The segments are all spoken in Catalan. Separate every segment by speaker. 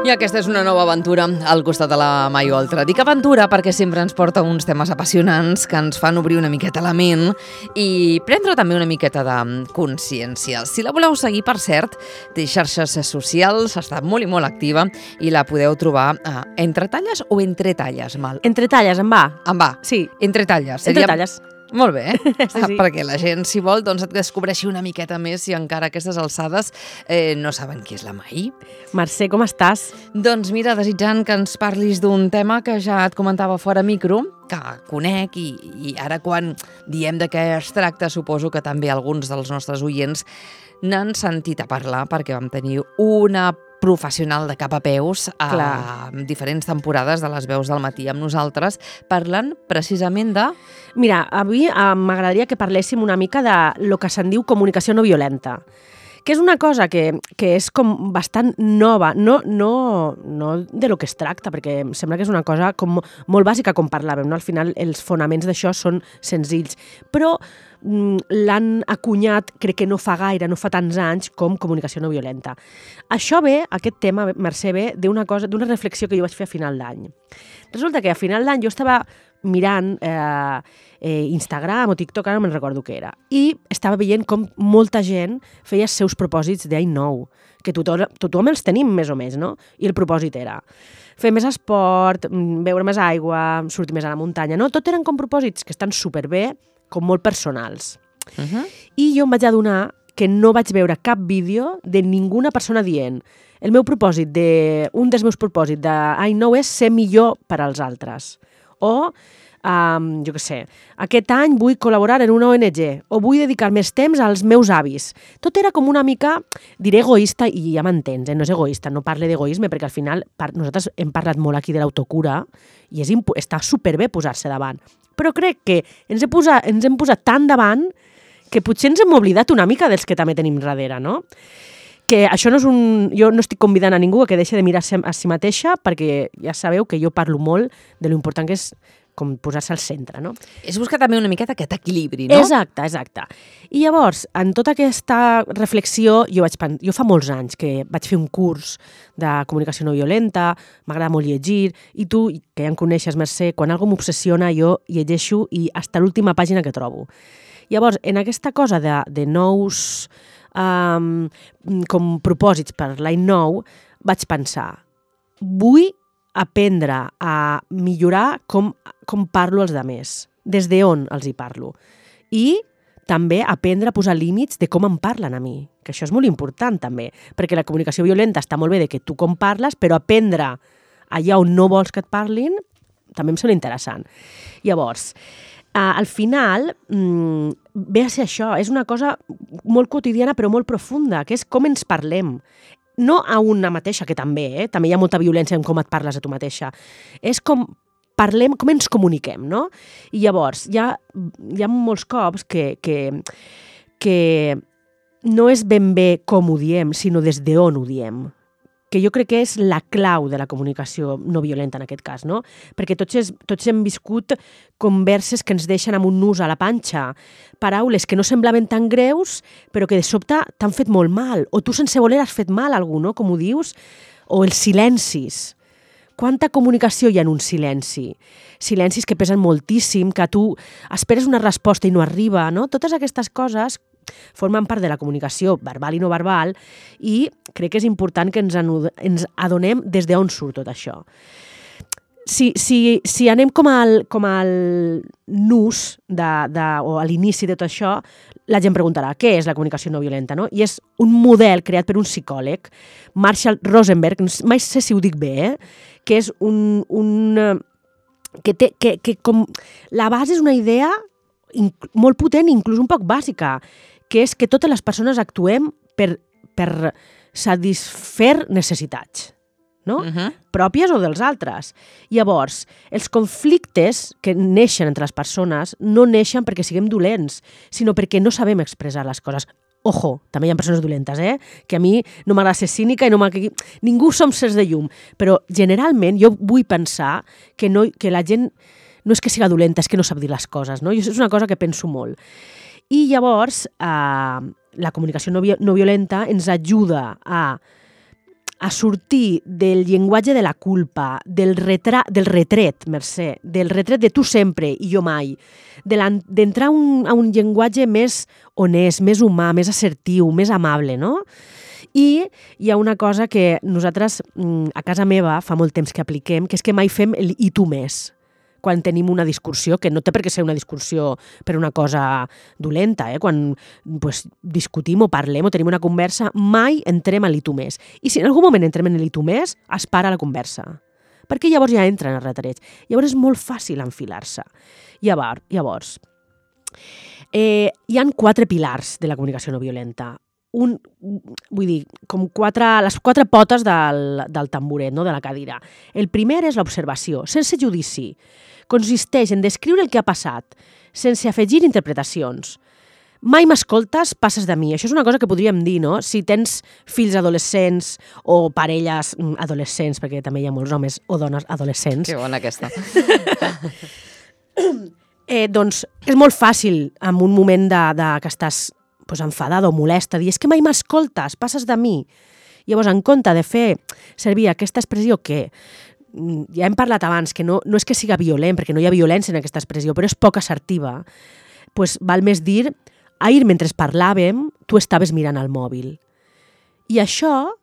Speaker 1: I aquesta és una nova aventura al costat de la Mai Oltra. Dic aventura perquè sempre ens porta uns temes apassionants que ens fan obrir una miqueta la ment i prendre també una miqueta de consciència. Si la voleu seguir, per cert, té xarxes socials, està molt i molt activa i la podeu trobar entre talles o entre talles, Mal?
Speaker 2: Entre talles, em va.
Speaker 1: Em va?
Speaker 2: Sí.
Speaker 1: Entre talles.
Speaker 2: Entre talles.
Speaker 1: Molt bé,
Speaker 2: sí.
Speaker 1: Perquè la gent, si vol, doncs et descobreixi una miqueta més si encara a aquestes alçades no saben qui és la Mai.
Speaker 2: Mercè, com estàs?
Speaker 1: Doncs mira, desitjant que ens parlis d'un tema que ja et comentava fora micro, que conec i ara quan diem de què es tracta, suposo que també alguns dels nostres oients n'han sentit a parlar perquè vam tenir una professional de cap a peus a diferents temporades de les veus del matí amb nosaltres, parlant precisament de...
Speaker 2: Mira, avui m'agradaria que parléssim una mica de lo que se'n diu comunicació no violenta, que és una cosa que és com bastant nova, no de lo que es tracta, perquè em sembla que és una cosa com molt bàsica com parlàvem, no? Al final els fonaments d'això són senzills, però l'han acunyat, crec que no fa gaire, no fa tants anys, com comunicació no violenta. Això ve, aquest tema, Mercè, ve d'una reflexió que jo vaig fer a final d'any. Resulta que a final d'any jo estava mirant Instagram o TikTok, ara no me'n recordo què era, i estava veient com molta gent feia els seus propòsits d'any nou, que tothom els tenim més o més, no? I el propòsit era fer més esport, beure més aigua, sortir més a la muntanya, no? Tot eren com propòsits que estan superbé, com molt personals. I jo em vaig adonar que no vaig veure cap vídeo de ninguna persona dient un dels meus propòsits d'any nou és ser millor per als altres. O, jo què sé, aquest any vull col·laborar en una ONG o vull dedicar més temps als meus avis. Tot era com una mica, diré egoista, i ja m'entens, no és egoista, no parle d'egoisme, perquè al final nosaltres hem parlat molt aquí de l'autocura i està superbé posar-se davant. Però crec que ens hem posat tan davant que potser ens hem oblidat una mica dels que també tenim darrere, no? Que això no és jo no estic convidant a ningú a que deixi de mirar-se a si mateixa, perquè ja sabeu que jo parlo molt de lo important que és com posar-se al centre, no?
Speaker 1: És buscar també una miqueta aquest equilibri, no?
Speaker 2: Exacte. I llavors, en tota aquesta reflexió, jo fa molts anys que vaig fer un curs de comunicació no violenta, m'agrada molt llegir, i tu, que ja em coneixes, Mercè, quan algú m'obsessiona, jo llegeixo i fins l'última pàgina que trobo. Llavors, en aquesta cosa de nous com propòsits per l'any nou, vaig pensar, vull aprendre a millorar com parlo als altres, des d'on els hi parlo. I també aprendre a posar límits de com em parlen a mi, que això és molt important també, perquè la comunicació violenta està molt bé de que tu com parles, però aprendre allà on no vols que et parlin també em sembla interessant. Llavors, al final ve a ser això, és una cosa molt quotidiana però molt profunda, que és com ens parlem. No a una mateixa, que també, també hi ha molta violència en com et parles a tu mateixa. És com parlem, com ens comuniquem, no? I llavors, hi ha molts cops que no és ben bé com ho diem, sinó des d'on ho diem. Que jo crec que és la clau de la comunicació no violenta en aquest cas, no? Perquè tots hem viscut converses que ens deixen amb un nus a la panxa, paraules que no semblaven tan greus, però que de sobte t'han fet molt mal, o tu sense voler has fet mal a algú, no? Com ho dius, o els silencis. Quanta comunicació hi ha en un silenci? Silencis que pesen moltíssim, que tu esperes una resposta i no arriba, no? Totes aquestes coses formen part de la comunicació verbal i no verbal i crec que és important que ens adonem des d'on surt tot això. Si anem com al nus o a l'inici de tot això, la gent preguntarà què és la comunicació no violenta, no? I és un model creat per un psicòleg, Marshall Rosenberg, mai sé si ho dic bé, que és que com la base és una idea molt potent i inclús un poc bàsica, que és que totes les persones actuem per satisfer necessitats, no? Pròpies o dels altres. Llavors, els conflictes que neixen entre les persones no neixen perquè siguem dolents, sinó perquè no sabem expressar les coses. Ojo, també hi ha persones dolentes, que a mi no m'agrada ser cínica i ningú som sers de llum, però generalment jo vull pensar que la gent no és que siga dolenta, és que no sap dir les coses, no? I això és una cosa que penso molt. I llavors, la comunicació no violenta ens ajuda a a sortir del llenguatge de la culpa, del retret, Mercè, del retret de tu sempre i jo mai, d'entrar a un llenguatge més honest, més humà, més assertiu, més amable, no? I hi ha una cosa que nosaltres a casa meva fa molt temps que apliquem, que és que mai fem el i tu més quan tenim una discussió, que no té per què ser una discussió per una cosa dolenta, quan discutim o parlem o tenim una conversa, mai entrem a l'i tu més. I si en algun moment entrem en l'i tu més, es para la conversa, perquè llavors ja entra en el retreig. Llavors és molt fàcil enfilar-se. Llavors, hi han 4 pilars de la comunicació no violenta. Vull dir, com les 4 potes del tamboret, no? De la cadira. El primer és l'observació, sense judici. Consisteix en descriure el que ha passat, sense afegir interpretacions. Mai m'escoltes, passes de mi. Això és una cosa que podríem dir, no? Si tens fills adolescents o parelles adolescents, perquè també hi ha molts homes o dones adolescents.
Speaker 1: Que bona aquesta.
Speaker 2: Doncs és molt fàcil, en un moment que estàs enfadada o molesta, dir, és que mai m'escoltes, passes de mi. Llavors, en compte de fer servir aquesta expressió que ja hem parlat abans, que no és que siga violent, perquè no hi ha violència en aquesta expressió, però és poc assertiva, doncs val més dir, ahir mentre parlàvem, tu estaves mirant el mòbil. I això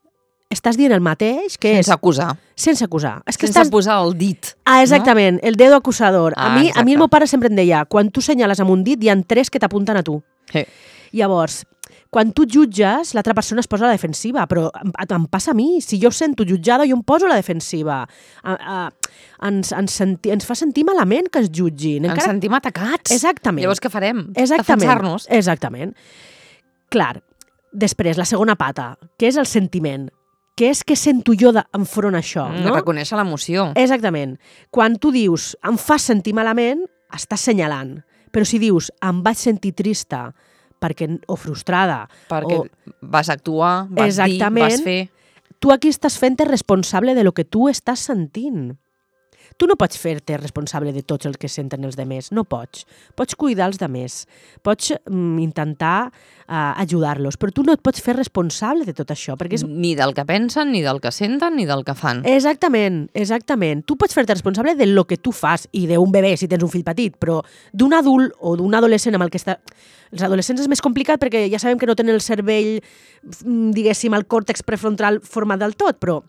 Speaker 2: estàs dient el mateix que
Speaker 1: sense acusar.
Speaker 2: Sense acusar.
Speaker 1: Sense posar el dit.
Speaker 2: Exactament, no? El dedo acusador. A mi el meu pare sempre em deia, quan tu senyales amb un dit, hi ha 3 que t'apunten a tu.
Speaker 1: Sí.
Speaker 2: Llavors, quan tu jutges, l'altra persona es posa a la defensiva, però em passa a mi. Si jo sento jutjada, jo em poso a la defensiva. Ens fa sentir malament que es jutgin.
Speaker 1: Ens sentim atacats.
Speaker 2: Exactament.
Speaker 1: Llavors què farem?
Speaker 2: Exactament.
Speaker 1: Defensar-nos.
Speaker 2: Exactament. Clar, després, la segona pata, que és el sentiment. Què és que sento jo enfront a això? No?
Speaker 1: Reconèixer l'emoció.
Speaker 2: Exactament. Quan tu dius, em fas sentir malament, estàs senyalant. Però si dius, em vaig sentir trista, o frustrada.
Speaker 1: Perquè vas actuar, vas dir, vas fer.
Speaker 2: Tu aquí estàs fent-te responsable de lo que tu estàs sentint. Tu no pots fer-te responsable de tots els que senten els demés, no pots. Pots cuidar els demés, pots intentar ajudar-los, però tu no et pots fer responsable de tot això. Perquè
Speaker 1: Ni del que pensen, ni del que senten, ni del que fan.
Speaker 2: Exactament, exactament. Tu pots fer-te responsable de lo que tu fas, i d'un bebè si tens un fill petit, però d'un adult o d'un adolescent amb el que està... Els adolescents és més complicat perquè ja sabem que no tenen el cervell, diguéssim, el còrtex prefrontal format del tot, però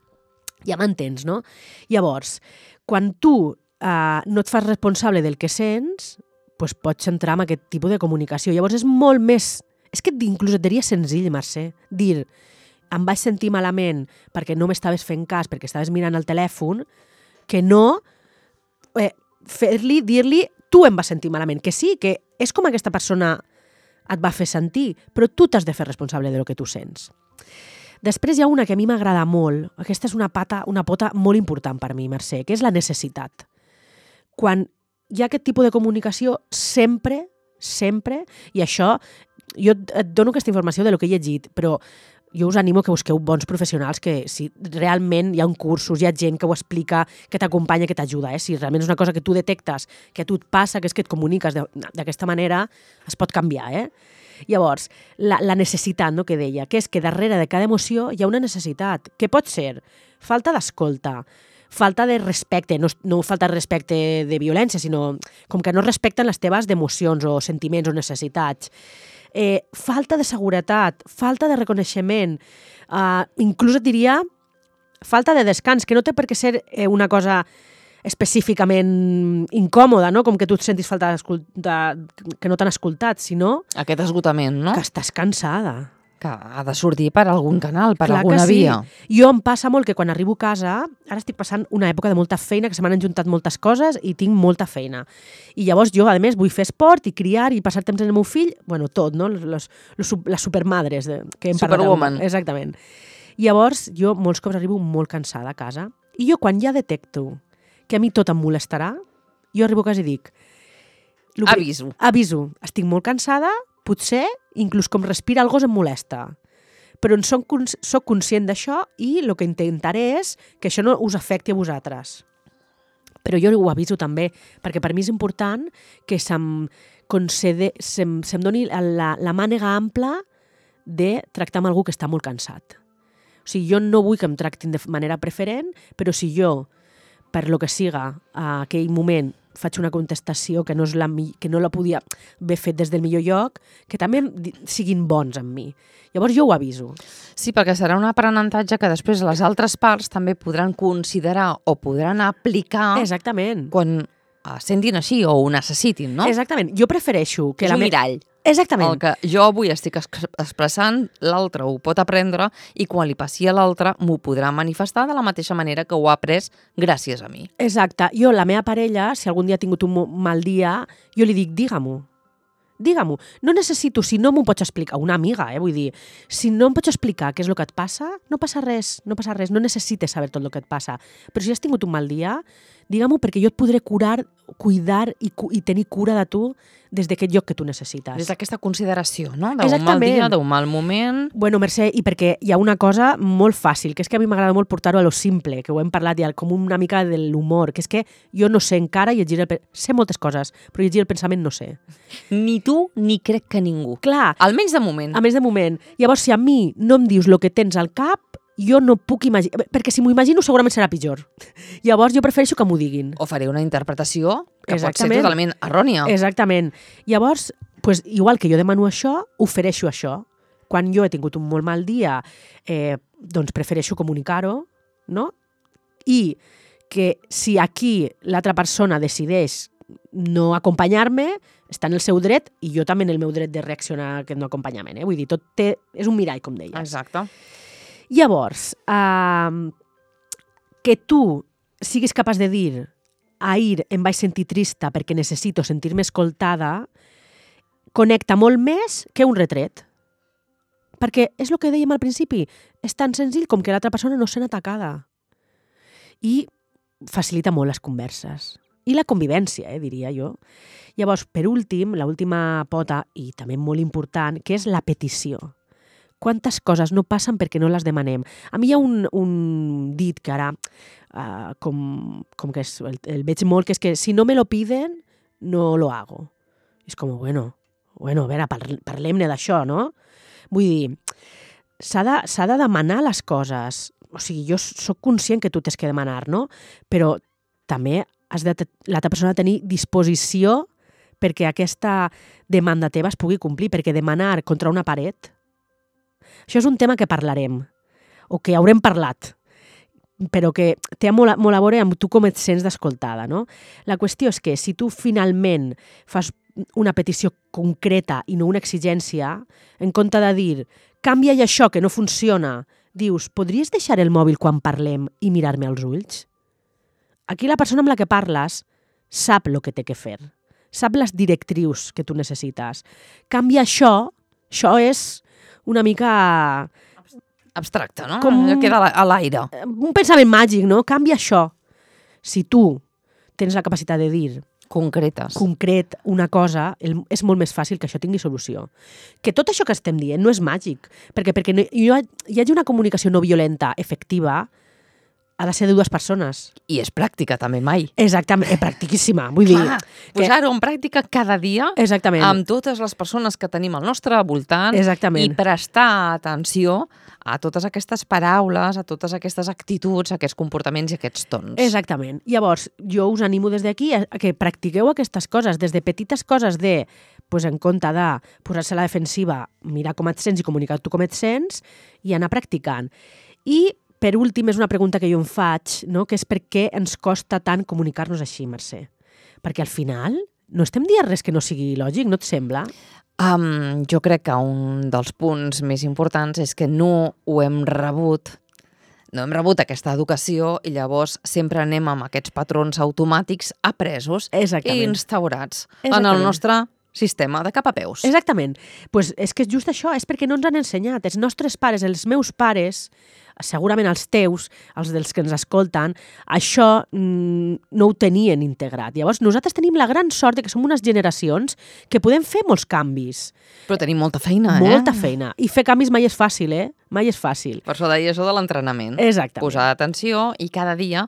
Speaker 2: ja m'entens, no? Llavors, quan tu no et fas responsable del que sents, doncs pots entrar en aquest tipus de comunicació. Llavors és molt més... És que inclús et diria senzill, Mercè, dir em vaig sentir malament perquè no m'estaves fent cas, perquè estaves mirant el telèfon, que no dir-li tu em vas sentir malament, que sí, que és com aquesta persona et va fer sentir, però tu t'has de fer responsable de lo que tu sents. Després hi ha una que a mi m'agrada molt, aquesta és una pota molt important per mi, Mercè, que és la necessitat. Quan hi ha aquest tipus de comunicació, sempre, i això, jo et dono aquesta informació de lo que he llegit, però jo us animo que busqueu bons professionals, que si realment hi ha cursos, hi ha gent que ho explica, que t'acompanya, que t'ajuda. Si realment és una cosa que tu detectes, que a tu et passa, que és que et comuniques d'aquesta manera, es pot canviar. Llavors, la necessitat, no, que deia, que és que darrere de cada emoció hi ha una necessitat. Què pot ser? Falta d'escolta, falta de respecte, no falta de respecte de violència, sinó com que no respecten les teves emocions o sentiments o necessitats. Falta de seguretat, falta de reconeixement, inclús et diria falta de descans, que no té per què ser una cosa específicament incòmoda, no? Com que tu et sentis falta que no t'han escoltat, sinó...
Speaker 1: Aquest esgotament, no?
Speaker 2: Que estàs cansada.
Speaker 1: Que ha de sortir per algun canal, per
Speaker 2: Clar
Speaker 1: alguna via.
Speaker 2: Jo em passa molt que quan arribo a casa, ara estic passant una època de molta feina, que se m'han enjuntat moltes coses i tinc molta feina. I llavors jo, a més, vull fer esport i criar i passar temps amb el meu fill, bueno, tot, no? Les supermadres que hem parlat.
Speaker 1: Superwoman.
Speaker 2: Exactament. Llavors, jo molts cops arribo molt cansada a casa i jo quan ja detecto que a mi tot em molestarà, jo arribo a casa i dic... Aviso. Estic molt cansada, potser inclús com respira el gos em molesta. Però soc conscient d'això i el que intentaré és que això no us afecti a vosaltres. Però jo ho aviso també, perquè per mi és important que se'm doni la mànega ampla de tractar amb algú que està molt cansat. O O sigui, jo no vull que em tractin de manera preferent, però si jo, per lo que siga, a aquell moment faig una contestació que no la podia haver fet des del millor lloc, que també siguin bons amb mi. Llavors jo ho aviso.
Speaker 1: Sí, perquè serà un aprenentatge que després les altres parts també podran considerar o podran aplicar
Speaker 2: Exactament.
Speaker 1: quan sentin així o ho necessitin, no?
Speaker 2: Exactament. Jo prefereixo que
Speaker 1: És un mirall.
Speaker 2: Exactament.
Speaker 1: El que jo avui estic expressant, l'altre ho pot aprendre i quan li passi a l'altre m'ho podrà manifestar de la mateixa manera que ho ha après gràcies a mi.
Speaker 2: Exacte. Jo, la meva parella, si algun dia ha tingut un mal dia, jo li dic, digue-m'ho. Digue-m'ho. No necessito, si no m'ho pots explicar, una amiga, vull dir, si no em pots explicar què és el que et passa, no passa res, no necessites saber tot el que et passa. Però si has tingut un mal dia, digue-m'ho perquè jo et podré cuidar i tenir cura de tu des d'aquest lloc que tu necessites.
Speaker 1: Des d'aquesta consideració, no? D'un mal dia, d'un mal moment.
Speaker 2: Bueno, Mercè, i perquè hi ha una cosa molt fàcil, que és que a mi m'agrada molt portar-ho a lo simple, que ho hem parlat ja, com una mica de l'humor, que és que jo no sé encara llegir sé moltes coses, però llegir el pensament no sé.
Speaker 1: Ni tu ni crec que ningú.
Speaker 2: Clar.
Speaker 1: Almenys de moment.
Speaker 2: Almenys de moment. Llavors, si a mi no em dius el que tens al cap, jo no puc imaginar, perquè si m'ho imagino segurament serà pitjor. Llavors jo prefereixo que m'ho diguin.
Speaker 1: O faré una interpretació que pot ser totalment errònia.
Speaker 2: Exactament. Llavors, pues, igual que jo demano això, ofereixo això. Quan jo he tingut un molt mal dia, doncs prefereixo comunicar-ho, no? I que si aquí l'altra persona decideix no acompanyar-me, està en el seu dret i jo també en el meu dret de reaccionar a aquest no acompanyament. Vull dir, és un mirall, com deies.
Speaker 1: Exacte.
Speaker 2: Llavors, que tu siguis capaç de dir ahir em vaig sentir trista perquè necessito sentir-me escoltada, connecta molt més que un retret. Perquè és el que dèiem al principi, és tan senzill com que l'altra persona no sent atacada. I facilita molt les converses. I la convivència, diria jo. Llavors, per últim, l'última pota, i també molt important, que és la petició. Quantes coses no passen perquè no les demanem. A mi hi ha un dit que ara, com que el veig molt, que és que si no me lo piden, no lo hago. És com, bueno, a veure, parlem-ne d'això, no? Vull dir, s'ha de demanar les coses. O sigui, jo sóc conscient que tu tens que demanar, no? Però també l'altra persona ha de tenir disposició perquè aquesta demanda teva es pugui complir, perquè demanar contra una paret. Això és un tema que parlarem, o que haurem parlat, però que té molt a veure amb tu com et sents d'escoltada, no? La qüestió és que si tu finalment fas una petició concreta i no una exigència, en compte de dir, canvia això que no funciona, dius, podries deixar el mòbil quan parlem i mirar-me als ulls? Aquí la persona amb la que parles sap el que té que fer, sap les directrius que tu necessites. Canvia això és una mica
Speaker 1: abstracte, no? Queda a l'aire.
Speaker 2: Un pensament màgic, no? Canvia això. Si tu tens la capacitat de dir concret una cosa, és molt més fàcil que això tingui solució. Que tot això que estem dient no és màgic, perquè hi hagi una comunicació no violenta efectiva, ha de ser de dues persones.
Speaker 1: I és pràctica, també, mai.
Speaker 2: Exactament, és practíssima. Vull dir...
Speaker 1: Posar-ho en pràctica cada dia amb totes les persones que tenim al nostre voltant i prestar atenció a totes aquestes paraules, a totes aquestes actituds, a aquests comportaments i aquests tons.
Speaker 2: Exactament. Llavors, jo us animo des d'aquí a que practiqueu aquestes coses, des de petites coses de, en compte de posar-se a la defensiva, mirar com et sents i comunicar tu com et sents, i anar practicant. I per últim, és una pregunta que jo em faig, no? Que és per què ens costa tant comunicar-nos així, Mercè? Perquè al final no estem dient res que no sigui lògic, no et sembla?
Speaker 1: Jo crec que un dels punts més importants és que no hem rebut aquesta educació i llavors sempre anem amb aquests patrons automàtics apresos i instaurats en el nostre sistema de cap a peus.
Speaker 2: Exactament. Pues és que és just això, és perquè no ens han ensenyat. Els nostres pares, els meus pares, segurament els teus, els dels que ens escolten, això no ho tenien integrat. Llavors, nosaltres tenim la gran sort que som unes generacions que podem fer molts canvis.
Speaker 1: Però tenim molta feina,
Speaker 2: Molta feina. I fer canvis mai és fàcil, Mai és fàcil.
Speaker 1: Per això deia això de l'entrenament.
Speaker 2: Exactament.
Speaker 1: Posar atenció i cada dia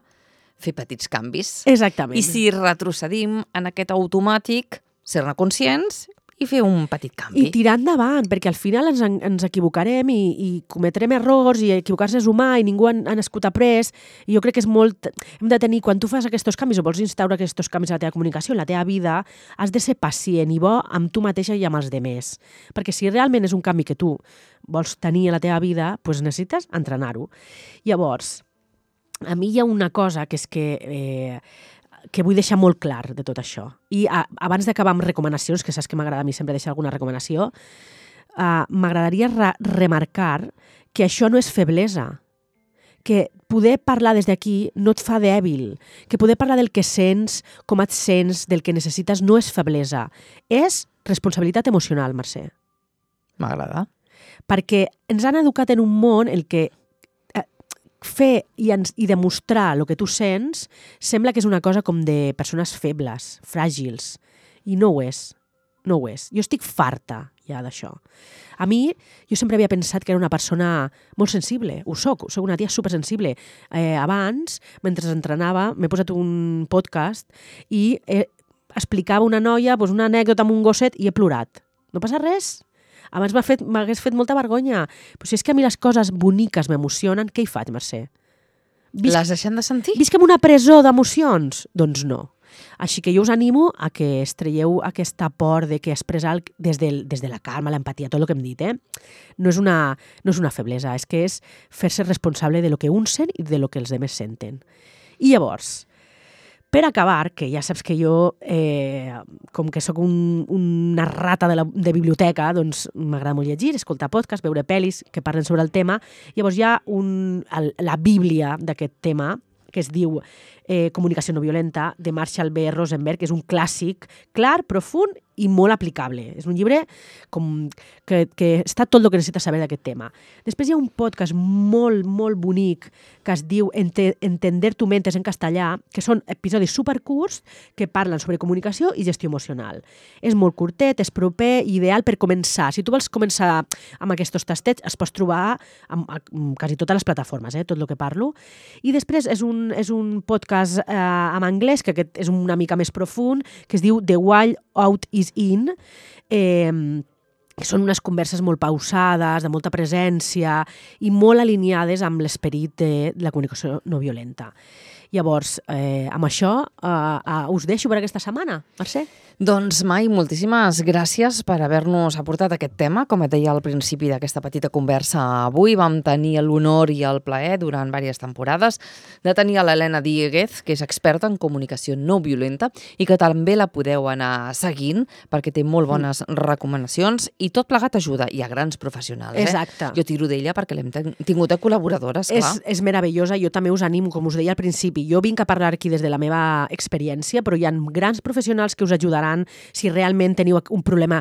Speaker 1: fer petits canvis.
Speaker 2: Exactament.
Speaker 1: I si retrocedim en aquest automàtic, ser-ne conscients i fer un petit canvi.
Speaker 2: I tirar endavant, perquè al final ens equivocarem i cometrem errors i equivocar-se és humà i ningú ha nascut après. I jo crec que és molt... Hem de tenir, quan tu fas aquests canvis o vols instaurar aquests canvis a la teva comunicació, en la teva vida, has de ser pacient i bo amb tu mateixa i amb els demés. Perquè si realment és un canvi que tu vols tenir a la teva vida, doncs necessites entrenar-ho. Llavors, a mi hi ha una cosa que és que vull deixar molt clar de tot això. I abans d'acabar amb recomanacions, que saps que m'agrada a mi sempre deixar alguna recomanació, m'agradaria remarcar que això no és feblesa, que poder parlar des d'aquí no et fa dèbil, que poder parlar del que sents, com et sents, del que necessites, no és feblesa. És responsabilitat emocional, Mercè.
Speaker 1: M'agrada.
Speaker 2: Perquè ens han educat en un món en què fer i demostrar el que tu sents sembla que és una cosa com de persones febles, fràgils, i no ho és. No ho és. Jo estic farta ja d'això. A mi, jo sempre havia pensat que era una persona molt sensible. Ho soc una tia supersensible. Abans, mentre entrenava, m'he posat un podcast i explicava una noia una anècdota amb un gosset i he plorat. No passa res. Abans m'hagués fet molta vergonya. Però si és que a mi les coses boniques m'emocionen, què hi faig, Mercè?
Speaker 1: Les deixem de sentir?
Speaker 2: Visc en una presó d'emocions? Doncs no. Així que jo us animo a que es traieu aquesta por de que expressar des de la calma, l'empatia, tot el que hem dit, no és una feblesa, és que és fer-se responsable de lo que un sent i de lo que els altres senten. I llavors, per acabar, que ja saps que jo, com que sóc una rata de biblioteca, doncs m'agrada molt llegir, escoltar podcasts, veure pel·lis que parlen sobre el tema. Llavors hi ha la bíblia d'aquest tema, que es diu Comunicació no violenta, de Marshall B. Rosenberg, que és un clàssic clar, profund i molt aplicable. És un llibre que està tot el que necessites saber d'aquest tema. Després hi ha un podcast molt, molt bonic que es diu Entender tu mentes en castellà, que són episodis supercurts que parlen sobre comunicació i gestió emocional. És molt curtet, és proper i ideal per començar. Si tu vols començar amb aquests tastets, es pots trobar amb quasi totes les plataformes, tot el que parlo. I després és un podcast en anglès, que aquest és una mica més profund, que es diu The Wild Out is In, són unes converses molt pausades, de molta presència i molt alineades amb l'esperit de la comunicació no violenta. Llavors, amb això us deixo per aquesta setmana, Mercè.
Speaker 1: Doncs, Mai, moltíssimes gràcies per haver-nos aportat aquest tema. Com et deia al principi d'aquesta petita conversa avui, vam tenir l'honor i el plaer durant diverses temporades de tenir a l'Helena Dieguez, que és experta en comunicació no violenta i que també la podeu anar seguint perquè té molt bones recomanacions i tot plegat ajuda. Hi ha grans professionals.
Speaker 2: Exacte.
Speaker 1: Jo tiro d'ella perquè l'hem tingut de col·laboradora, esclar.
Speaker 2: És meravellosa. Jo també us animo, com us deia al principi. Jo vinc a parlar aquí des de la meva experiència, però hi ha grans professionals que us ajudaran si realment teniu un problema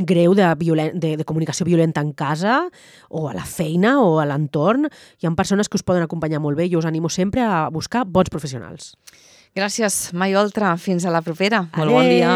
Speaker 2: greu de comunicació violenta en casa o a la feina o a l'entorn. Hi ha persones que us poden acompanyar molt bé. Jo us animo sempre a buscar bons professionals.
Speaker 1: Gràcies, Mai Oltra. Fins a la propera. Molt bon dia.